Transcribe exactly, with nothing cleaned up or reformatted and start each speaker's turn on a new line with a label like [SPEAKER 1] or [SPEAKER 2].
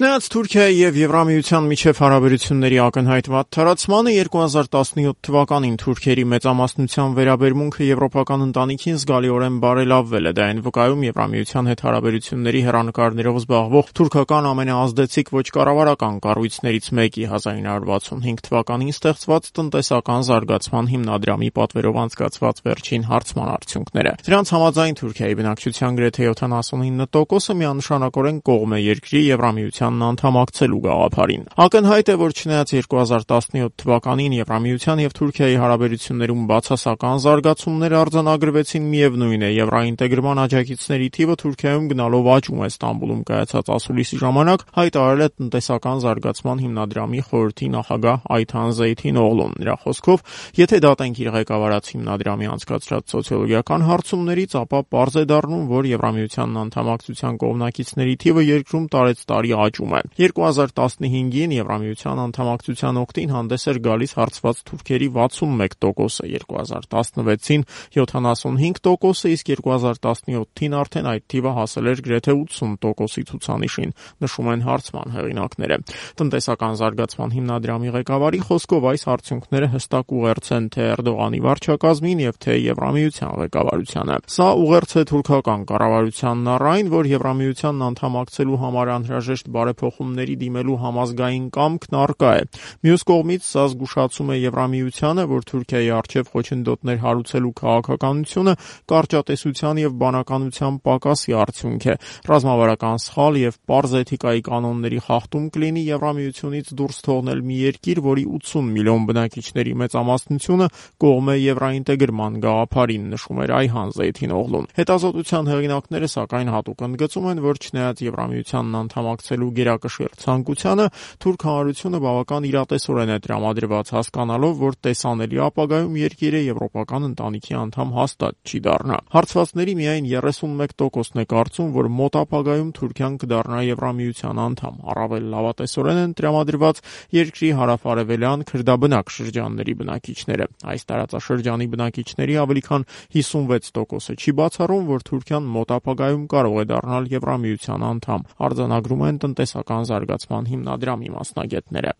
[SPEAKER 1] Չնայած Թուրքիայի եւ Եվրամիության միջև հարաբերությունների ակնհայտ վատթարացմանը երկու հազար տասնյոթ թվականին թուրքերի մեծամասնության վերաբերմունքը եվրոպական ընտանիքին զգալիորեն բարելավվել է։ Դա այն վկայում Եվրամիության հետ հարաբերությունների հեռանկարներով զբաղվող թուրքական ամենաազդեցիկ ոչ կառավարական կառույցներից մեկի հազար ինը հարյուր վաթսունհինգ թվականին ստեղծված տնտեսական զարգացման հիմնադրամի պատվերով անցկացված վերջին հարցման արդյունքները։ Դրանց համաձայն Թուրքիայի բնակչության գրեթե յոթանասունինը տոկոսը միանշանակորեն կողմ է երկրի Եվրամիությանն անդամակցելու գաղափարին։ Ակնհայտ է, որ չնայած երկու հազար տասնյոթ թվականին Եվրամիության եւ Թուրքիայի հարաբերություններում բացասական զարգացումներ արձանագրվեցին, միևնույն է, եվրաինտեգրման աջակիցների թիվը Թուրքիայում գնալով աճում է։ Ստամբուլում կայացած ասուլիսի ժամանակ հայտարարել է տնտեսական զարգացման հիմնադրամի խորհրդի նախագահ Այթան Զեյթին Օղլուն։ Նրա խոսքով, եթե դատենք իր ղեկավարած հիմնադրամի անցկացրած սոցիոլոգիական հարցումներից, ապա պարզ է դառնում, որ Եվրամիությանն անդամակցության կողմնակիցների թիվը երկրում տարեցտարի աճում է։ երկու հազար տասնհինգին Եվրամիության անդամակցության օգտին հանդես էր գալիս հարցված թուրքերի վաթսունմեկ տոկոսը, երկու հազար տասնվեցին յոթանասունհինգ տոկոսը, իսկ երկու հազար տասնյոթին արդեն այդ թիվը հասել էր գրեթե ութսուն տոկոսի ցուցանիշին, նշում են հարցման հեղինակները։ Տնտեսական զարգացման հիմնադրամի ղեկավարի խոսքով այս արդյունքները հստակ ուղերձ են թե Էրդողանի վարչակազմին եւ թե Եվրամիության ղեկավարությանը։ Սա ուղերձ է թուրքական կառավարությանն առ այն, որ Եվրամիությանն անդամակցելու համար անհրաժեշտ բարեփոխումների դիմելու համազգային կամքն առկա է։ Մյուս կողմից սա զգուշացում է Եվրամիությանը, որ Թուրքիայի առջև խոչընդոտներ հարուցելու քաղաքականությունը կարճատեսության եւ բանականության պակասի արդյունք է։ Ռազմավարական սխալ եւ պարզ էթիկայի կանոնների խախտում կլինի Եվրամիությունից դուրս թողնել մի երկիր, որի ութսուն միլիոն բնակիչների մեծամասնությունը կողմ է եվրաինտեգրման գաղափարին, նշում էր Այթան Զեյթին Օղլուն։ Հետազոտության հեղինակները սակայն հատուկ ընդգծում են, որ չնայած Եվրամիությանն անդամակցելու գերակշիռ ցանկությանը, թուրք հանրությունը բավական իրատեսորեն է տրամադրված, հասկանալով, որ տեսանելի ապագայում երկիրը եվրոպական ընտանիքի անդամ հաստատ չի դառնա։ Հարցվածների միայն երեսունմեկ տոկոսն է կարծում, որ մոտ ապագայում Թուրքիան կդառնա Եվրամիության անդամ։ Առավել լավատեսորեն են տրամադրված երկրի հարավ-արևելյան քրդաբնակ շրջանների բնակիչները։ Այս տարածաշրջանի բնակիչների ավելի քան հիսունվեց տոկոսը չի բացառում, որ Թուրքիան մոտ ապագայում կարող է դառնալ Եվրամիության անդամ, արձանագրում են տնտեսական զարգացման հիմնադրամի մասնագետները։